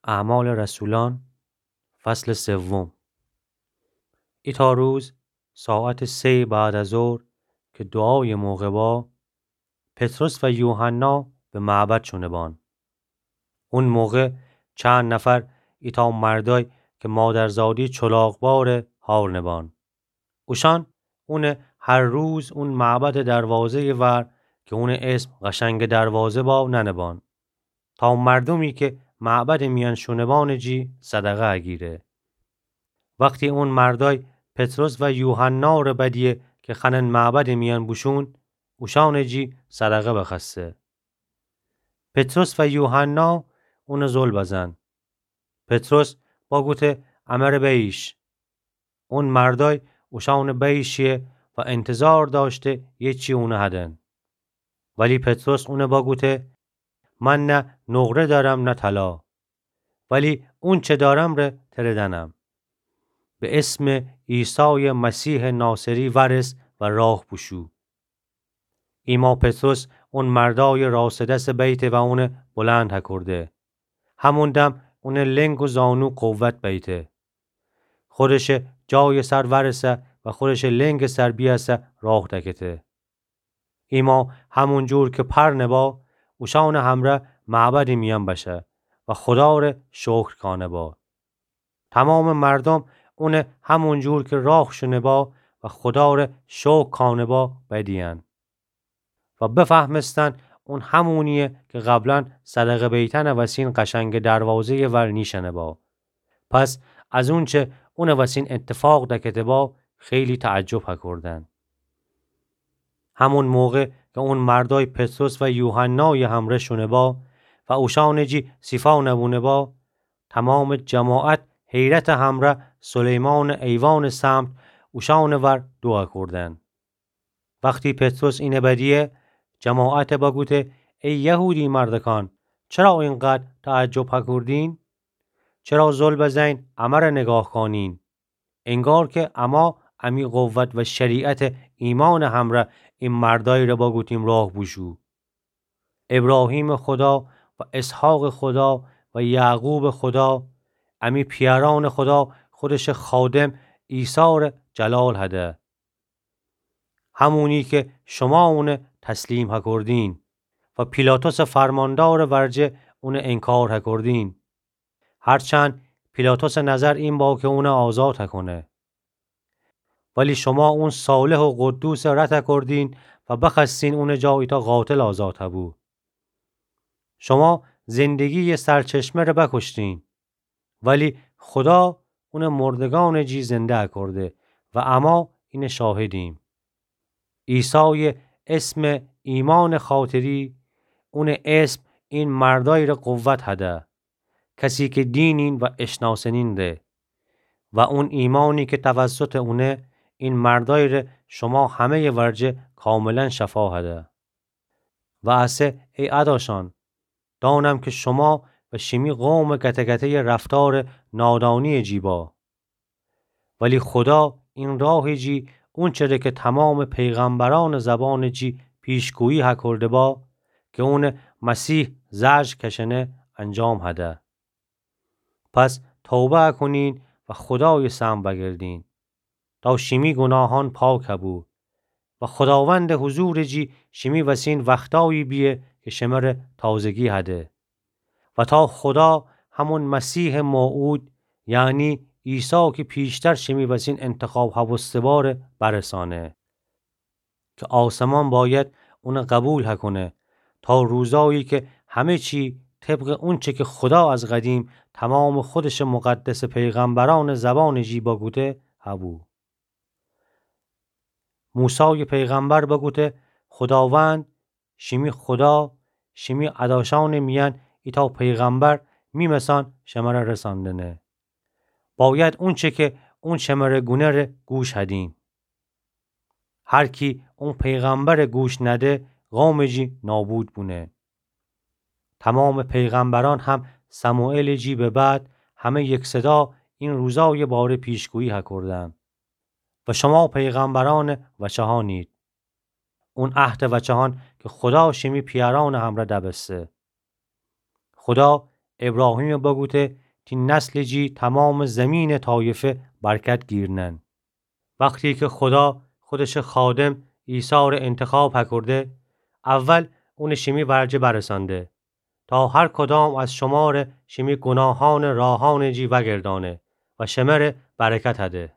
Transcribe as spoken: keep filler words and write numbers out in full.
اعمال رسولان، فصل سوم. ایتا روز ساعت سه بعد از ظهر که دعای موقع با، پطرس و یوحنا به معبد شونه بان. اون موقع چند نفر ایتا مردای که مادرزادی چلاق باره هارنه بان. اوشان اونه هر روز اون معبد دروازه‌ی ور که اونه اسم قشنگ دروازه با ننه بان، تا مردومی که معبد میان شونه بانه جی صدقه اگیره. وختی اون مردای پطرس و یوحنا ره بدیه که خنن معبد میان بوشون، اوشانه جی صدقه بخوأسته. پطرس و یوحنا اونه زل بزن. پطرس باگوته امره بییش. اون مردای اوشانه بییشیه و انتظار داشته یه چی اونه هدن. ولی پطرس اونه باگوته من نه نقره دارم نه طلا، ولی اونچه دارم ره تره دنم. به اسم عیسای مسیح ناصری ورس و راه بوشو. ایما پطرس اون مردای راسته دس بیته و اونه بلند هکرده. همون دم اونه لنگ و زانو قوت بیته. خودشه جای سر ورسه و خودشه لنگ سر بیاسه راه دکته. ایما همون جور که پرنه با، اوشان همره معبد میان بشه و خدا ره شکر کانه با. تمام مردم اونه همون جور که راه شونه با و خدا ره شکر کانه با بدیان و بفهمستن اون همونیه که قبلا صدقه بیتن وسین قشنگ دروازه‌ی ور نیشنه با. پس از اونچه اون وسین اتفاق دکته با، خیلی تعجب هکردن. همون موقع که اون مردای پطرس و یوحنای همره شونه با و اوشان جی سیفا نبونه با، تمام جماعت حیرت همره سلیمان ایوان سمت اوشان ور دو هکردن. وختی پطرس اینه بدیه، جماعت بگوته: ای یهودی مردکان، چرا اینقدر تعجب هکردین؟ چرا زل بزین امره نگاه کانین؟ انگار که اما امی قوت و شریعت ایمان همره این مردای ره بگوتیم راه بوشو. ابراهیم خدا و اسحاق خدا و یعقوب خدا، امی پیاران خدا خودش خادم عیسی ره جلال هده. همونی که شما اونه تسلیم هکردین و پیلاطس فرماندار ورجه اونه انکار هکردین. هرچند پیلاطس نظر این با که اونه آزاد هکنه. ولی شما اون صالح و قدوس رد هکردین و بخوأستین اونه جا ایتا قاتل آزاد هبو. شما زندگی سرچشمه ره بکشتین، ولی خدا اونه مردگان جی زنده هکرده و اما اینه شاهدیم. عیسای اسم ایمان خاطری، اونه اسم این مردای ره قوت هده، کسی که دینین و اشناسنین ره. و اون ایمانی که توسط اونه این مردای ره شما همه‌ی ورجه کاملا شفا هده. و اسه ای اداشان، دانم که شما و شیمی قوم گته‌گته‌ی رفتار نادانی جی با. ولی خدا این راه جی اونچه ره که تمام پیغمبران زبان جی پیشگویی هکرده با که اون مسیح زجر کشنه انجام هده. پس توبه کنین و خدای سمت بگردین تا شیمی گناهان پاک هبو و خداوند حضور جی شیمی وسین وختایی بیه که شمره تازگی هده و تا خدا همون مسیح موعود، یعنی عیسی که پیشتر شیمی وسین انتخاب هبوسته باره، برسانه. که آسمان باید اونه قبول هکنه تا روزایی که همه چی طبق اونچه که خدا از قدیم تمام خودش مقدس پیغمبران زبان جی بگوته هبو. موسی پیغمبر بگوته: خداوند، شیمی خدا، شیمی اداشان میان ایتا پیغمبر میمسان شمره رساندنه. باید اونچه که اون شمره گونه ره گوش هدین. هر کی اون پیغمبر گوش نده، قوم جی نابود بونه. تمام پیغمبران هم سموئیل جی به بعد همه یک صدا این روزای باره پیشگویی هکردن. و شما پیغمبران وچهانید. اون عهد وچهان که خدا شیمی پیاران همره دبسته. خدا ابراهیم بگوته، تی نسل جی تمام زمین طایفه برکت گیرنن. وختی که خدا خودش خادم عیسی ره انتخاب هکرده، اول اون شیمی ورجه برسانده، تا هر کدام از شماره شیمی گناهان راهان جی وگردانه و شمره برکت هده.